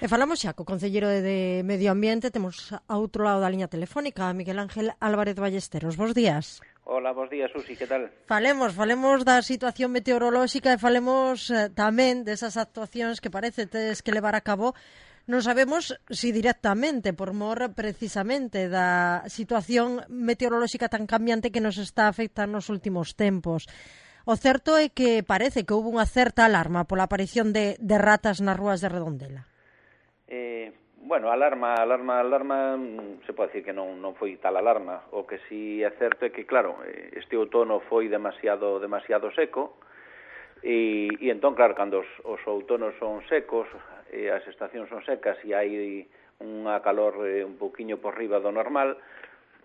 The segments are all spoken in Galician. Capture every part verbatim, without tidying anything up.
E falamos xa co concelleiro de Medio Ambiente, temos a outro lado da liña telefónica, a Miguel Ángel Álvarez Ballesteros. Bos días. Hola, bos días, Susi, que tal? Falemos, falemos da situación meteorolóxica e falemos eh, tamén desas actuacións que parece tedes que levar a cabo. Non sabemos si directamente, por mor precisamente da situación meteorolóxica tan cambiante que nos está afectando nos últimos tempos. O certo é que parece que houve unha certa alarma pola aparición de, de ratas nas rúas de Redondela. Eh, bueno, alarma, alarma, alarma, se pode decir que non, non foi tal alarma. O que si é certo é que, claro, este outono foi demasiado demasiado seco e, e entón, claro, cando os, os outonos son secos, e as estacións son secas e hai unha calor eh, un poquinho por riba do normal,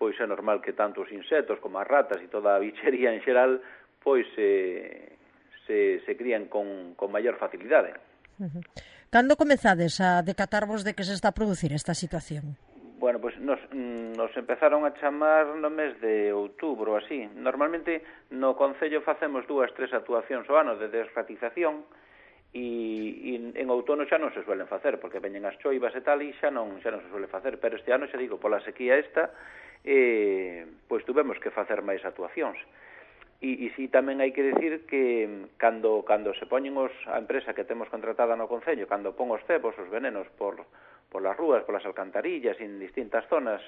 pois é normal que tanto os insectos como as ratas e toda a bichería en xeral pois eh, se, se crían con, con maior facilidade. Uh-huh. Cando comezades a decatarvos de que se está a producir esta situación? Bueno, pois nos, nos empezaron a chamar no mes de outubro, así. Normalmente no Concello facemos dúas, tres actuacións ao ano de desratización e, e en outono xa non se suelen facer, porque veñen as choivas e tal e xa non, xa non se suele facer. Pero este ano, xa digo, pola sequía esta, eh, pois tuvemos que facer máis actuacións. E, e si tamén hai que decir que cando cando se poñen os, a empresa que temos contratada no Concello, cando pon os cebos, os venenos por, por las rúas, por las alcantarillas, en distintas zonas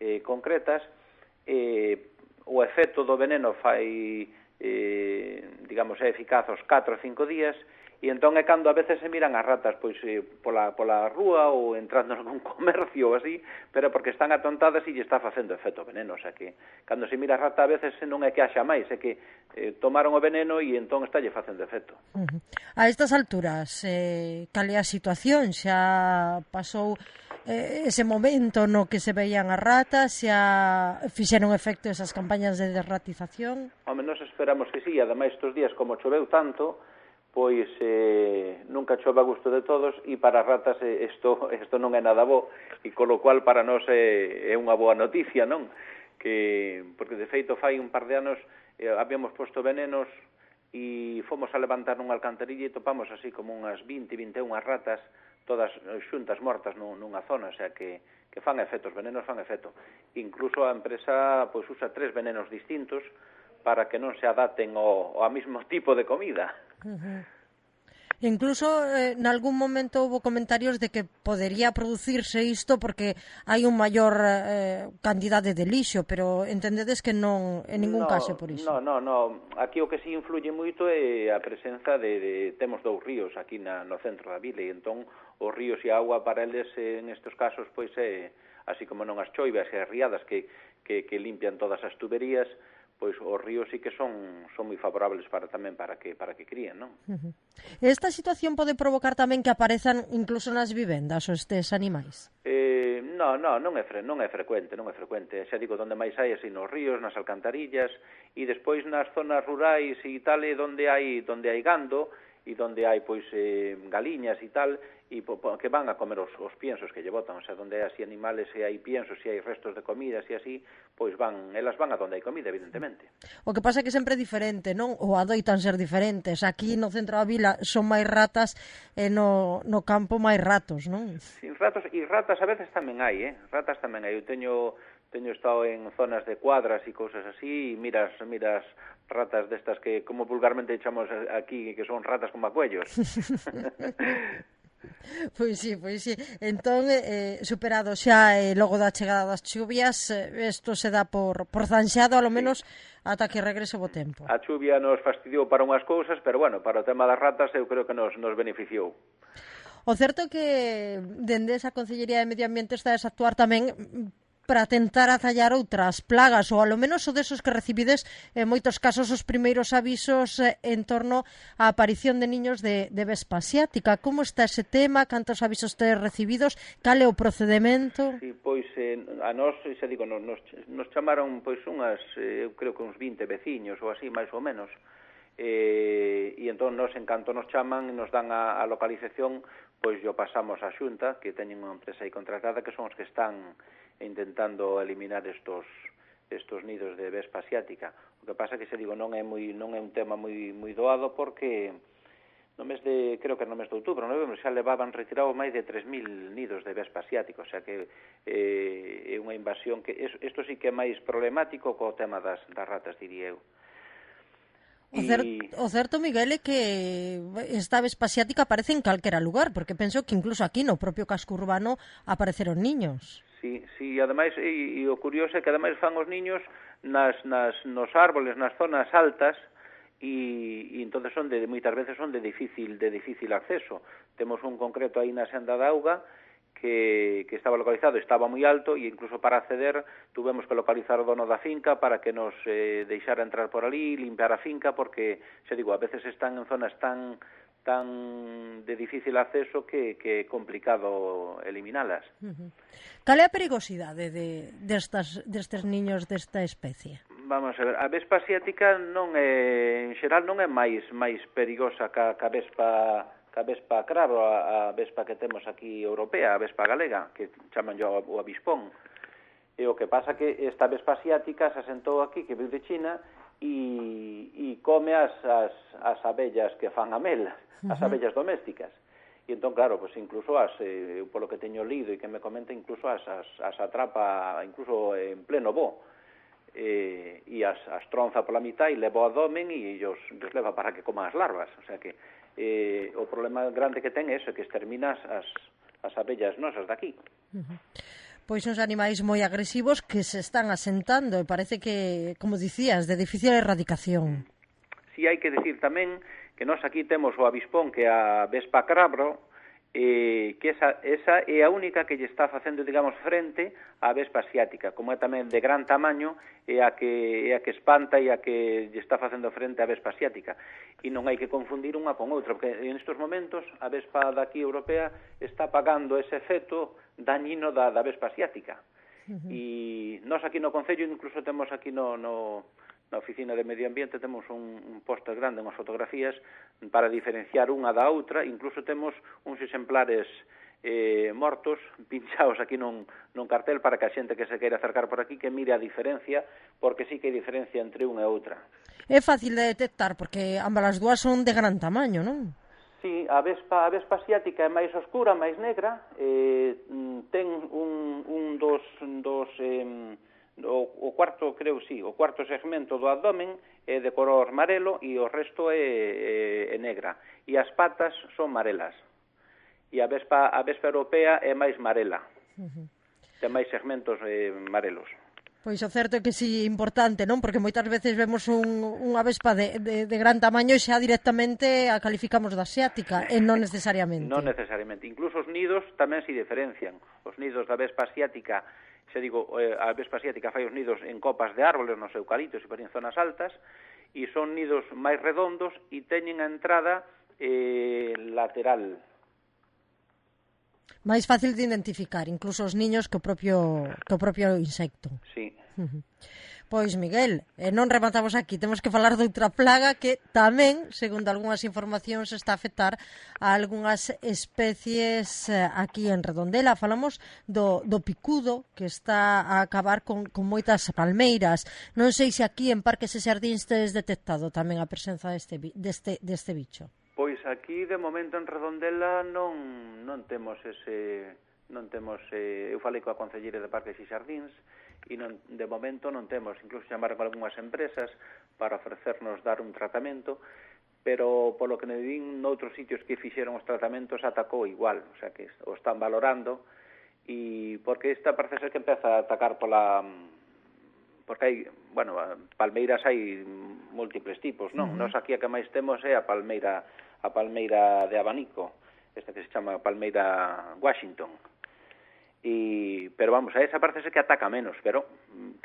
eh, concretas, eh, o efecto do veneno fai, eh, digamos, é eficaz aos catro ou cinco días, e entón é cando a veces se miran as ratas pois eh, pola, pola rúa ou entrando nun comercio ou así, pero porque están atontadas e lle está facendo efecto veneno, o sea que cando se mira a rata a veces non é que haxa máis, é que eh, tomaron o veneno e entón está lle facendo efecto. Uh-huh. A estas alturas, eh, cal é a situación? Xa pasou eh, ese momento no que se veían as ratas, xa fixeron efecto esas campañas de desratización? Home, nos esperamos que sí, ademais estes días como choveu tanto, pois eh, nunca chove a gusto de todos e para as ratas eh, isto, isto non é nada bo e con lo cual para nós é, é unha boa noticia, non? Que, porque de feito fai un par de anos eh, habíamos posto venenos e fomos a levantar unha alcantarilla e topamos así como unhas vinte, vinte e unha ratas todas xuntas mortas nunha zona, o sea que, que fan efectos, venenos fan efecto. Incluso a empresa pois usa tres venenos distintos para que non se adapten ao, ao mismo tipo de comida. Uh-huh. Incluso eh, en algún momento houve comentarios de que podería producirse isto porque hai un maior eh, cantidade de lixo, pero entendedes que non en ningún no, caso por iso. No, no, no, aquí o que si influye moito é a presenza de, de temos dous ríos aquí na, no centro da vila e entón os ríos e a auga para eles en estes casos pois é así como non as choivas e as riadas que, que, que limpian todas as tuberías, pois os ríos sí que son son moi favorables para tamén para que para que críen, non? Uh-huh. Esta situación pode provocar tamén que aparezan incluso nas vivendas os estes animais? Eh, no, no, non é fre, non é frecuente, non é frecuente. Xa digo, onde máis hai así nos ríos, nas alcantarillas e despois nas zonas rurais e tal, e onde hai onde hai gando e onde hai pois eh, galiñas e tal, e po, po, que van a comer os, os piensos que lle botan, o sea, onde hai así animales e hai piensos e hai restos de comidas e así, pois van, elas van a onde hai comida, evidentemente. O que pasa é que sempre é diferente, non? Ou adoitan ser diferentes. Aquí no centro da vila son máis ratas e no, no campo máis ratos, non? Sin ratos, e ratas a veces tamén hai, eh? Ratas tamén hai. Eu teño teño estado en zonas de cuadras e cousas así, e miras, miras ratas destas que, como vulgarmente chamamos aquí, que son ratas con macuellos. Pois sí, pois sí. Entón, eh, superado xa eh, logo da chegada das chuvias, isto eh, se dá por, por zanxado, alo menos, sí, ata que regrese o tempo. A chuvia nos fastidiou para unhas cousas, pero bueno, para o tema das ratas eu creo que nos, nos beneficiou. O certo é que dende esa Concellería de Medio Ambiente está a actuar tamén para tentar atallar outras plagas, ou alo menos o desos que recibides en moitos casos os primeiros avisos eh, en torno á aparición de niños de, de vespa asiática. Como está ese tema? Cantos avisos tedes recibidos? Cal é o procedemento? Sí, pois eh, a nós, xa digo, nos, nos chamaron pois unhas, eh, eu creo que uns vinte veciños ou así, máis ou menos, eh, e entón nos, en canto nos chaman e nos dan a, a localización, pois yo pasamos á Xunta, que teñen unha empresa aí contratada, que son os que están intentando eliminar estos estos nidos de vespa asiática. O que pasa que, se digo, non é moi non é un tema moi moi doado porque no mes de, creo que no mes de outubro, novembro, xa levaban retirado máis de tres mil nidos de vespa asiática, o sea que eh, é unha invasión que, isto sí que é máis problemático co tema das, das ratas, diría eu. O, cer o certo, Miguel, é que esta vespa asiática aparece en calquera lugar, porque penso que incluso aquí no propio casco urbano apareceron niños. Sí, sí, ademais, e, e o curioso é que ademais fan os niños nas, nas, nos árboles, nas zonas altas, e, e entonces son de, moitas veces son de difícil de difícil acceso. Temos un concreto aí na Senda da Auga que, que estaba localizado, estaba moi alto, e incluso para acceder tuvemos que localizar o dono da finca para que nos eh, deixara entrar por ali, limpiar a finca, porque, xa digo, a veces están en zonas tan tan de difícil acceso que, que é complicado eliminalas. Uh-huh. Cal é a perigosidade de, destas, destes niños desta especie? Vamos a ver, a vespa asiática non é, en xeral non é máis máis perigosa ca, ca vespa ca vespa cravo, a, a vespa que temos aquí europea, a vespa galega, que chaman yo o avispón. E o que pasa que esta vespa asiática se asentou aquí, que viu de China, e, e come as, as, as abellas que fan a mel, as abellas domésticas. E entón, claro, pues incluso as, eh, polo que teño lido e que me comenta, incluso as, as, as atrapa incluso en pleno voo. Eh, e as, as tronza pola mitad e leva ao abdomen e os, os leva para que coman as larvas. O sea que eh, o problema grande que ten é eso, que extermina as, as abellas nosas daqui. Uh-huh. Pois uns animais moi agresivos que se están asentando e parece que, como dicías, de difícil erradicación. Si hai que decir tamén que nós aquí temos o avispón, que é a vespa crabro, eh, que esa, esa é a única que lle está facendo, digamos, frente á vespa asiática, como é tamén de gran tamaño, é a que, é a que espanta e a que lle está facendo frente á vespa asiática. E non hai que confundir unha con outra, porque en estos momentos a vespa daqui europea está pagando ese efecto dañino da, da vespa asiática. Uh-huh. E nós aquí no Concello, incluso temos aquí no... no na Oficina de Medio Ambiente temos un, un póster grande, unhas fotografías para diferenciar unha da outra, incluso temos uns exemplares eh, mortos pinchados aquí nun, nun cartel para que a xente que se queira acercar por aquí que mire a diferencia, porque sí que hai diferencia entre unha e outra. É fácil de detectar porque ambas as dúas son de gran tamaño, non? Sí, a vespa, a vespa asiática é máis oscura, máis negra, eh, ten un, un dos... dos eh, O, o cuarto, creo, sí, o cuarto segmento do abdomen é de color marelo e o resto é, é, é negra. E as patas son marelas. E a vespa, a vespa europea é máis marela. Uh-huh. Ten máis segmentos eh, marelos. Pois o certo é que sí, importante, non? Porque moitas veces vemos un, unha vespa de, de, de gran tamaño e xa directamente a calificamos de asiática, e non necesariamente. Non necesariamente. Incluso os nidos tamén se diferencian. Os nidos da vespa asiática, xa digo, a vespa asiática fai os nidos en copas de árboles, nos eucaliptos e en zonas altas, e son nidos máis redondos e teñen a entrada eh, lateral. Máis fácil de identificar, incluso os niños que o propio, que o propio insecto. Sí. Uh-huh. Pois, Miguel, eh, non rematamos aquí, temos que falar de outra plaga que tamén, segundo algunhas informacións, está a afectar a algunhas especies eh, aquí en Redondela. Falamos do, do picudo, que está a acabar con, con moitas palmeiras. Non sei se aquí en Parques e Xardíns tedes detectado tamén a presenza deste, deste, deste bicho. Pois aquí, de momento, en Redondela non, non temos ese... non temos... Eh, eu falei coa Concelleira de Parques e Xardíns, e non, de momento non temos, incluso chamaron con algunhas empresas para ofrecernos dar un tratamento, pero polo que me din noutros sitios que fixeron os tratamentos atacou igual, o sea que o están valorando, e porque esta parece ser que empeza a atacar pola... porque hai, bueno, palmeiras hai múltiples tipos, non? Uh-huh. Nos aquí a que máis temos é a palmeira, a palmeira de abanico, esta que se chama palmeira Washington. Y, pero vamos, a esa parece que ataca menos, pero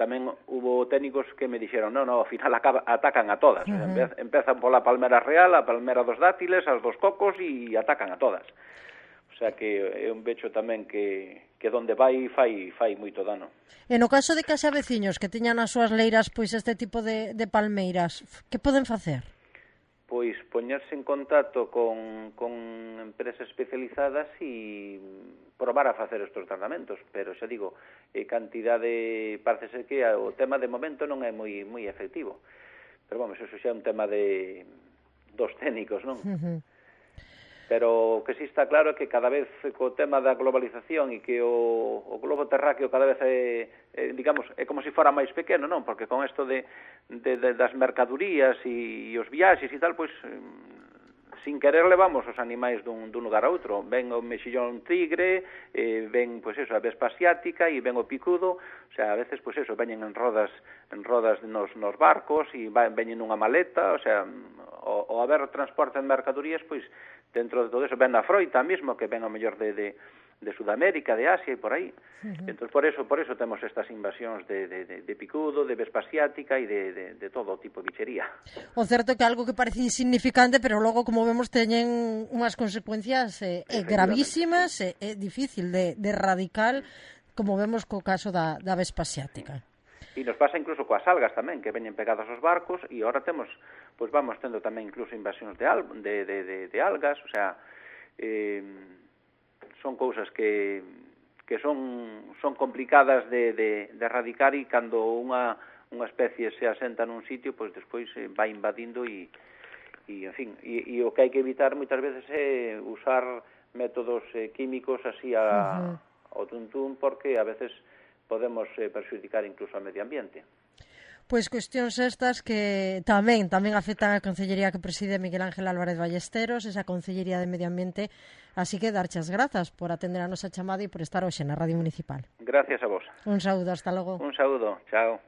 tamén hubo técnicos que me dixeron, no, no, ao final acaba, atacan a todas. Uh-huh. O sea, empezan pola palmera real, a palmera dos dátiles, as dos cocos e atacan a todas. O sea que é un becho tamén que, que donde vai fai, fai moito dano. E no caso de que haxa veciños que teñan as súas leiras pois este tipo de, de palmeiras, que poden facer? Pois poñerse en contacto con, con empresas especializadas e probar a facer estes tratamentos, pero xa digo, eh, cantidade, parece ser que o tema de momento non é moi moi efectivo, pero vamos, eso xa é un tema de dos técnicos, non? Uh-huh. Pero o que sí está claro é que cada vez co tema da globalización e que o, o globo terráqueo cada vez é, é, digamos, é como se fora máis pequeno, non? Porque con isto de, de, de das mercadurías e, e os viaxes e tal, pois sin querer levamos os animais dun, dun lugar a outro. Ven o mexillón tigre, eh, ven, pois eso, a vespa asiática e ven o picudo, o sea, a veces, pois eso, veñen en rodas en rodas nos, nos barcos e veñen nunha maleta, o sea, o, o haber transporte de mercadorías, pois, dentro de todo eso, ven a froita mesmo, que ven ao mellor de, de, de Sudamérica, de Asia e por aí. Uh-huh. Entón, por eso, por eso temos estas invasións de, de, de, de picudo, de vespa asiática e de, de, de todo tipo de bichería. O certo é que algo que parece insignificante, pero logo, como vemos, teñen unhas consecuencias eh, eh, gravísimas, é eh, eh, difícil de, de radical, como vemos co caso da, da vespa asiática. E nos pasa incluso coas algas tamén, que veñen pegadas aos barcos, e agora temos, pois vamos tendo tamén incluso invasións de, al, de, de, de, de algas, o sea, eh, son cousas que, que son, son complicadas de, de, de erradicar, e cando unha, unha especie se asenta nun sitio, pois despois eh, vai invadindo e, e en fin, e, e o que hai que evitar moitas veces é usar métodos eh, químicos así a, uh-huh. ao tuntún, porque a veces podemos eh, perxudicar incluso ao medio ambiente. Pois cuestións estas que tamén tamén afectan a Concellería que preside Miguel Ángel Álvarez Ballesteros, esa Concellería de Medio Ambiente, así que darchas grazas por atender a nosa chamada e por estar hoxe na Radio Municipal. Gracias a vos. Un saúdo, hasta logo. Un saúdo, chao.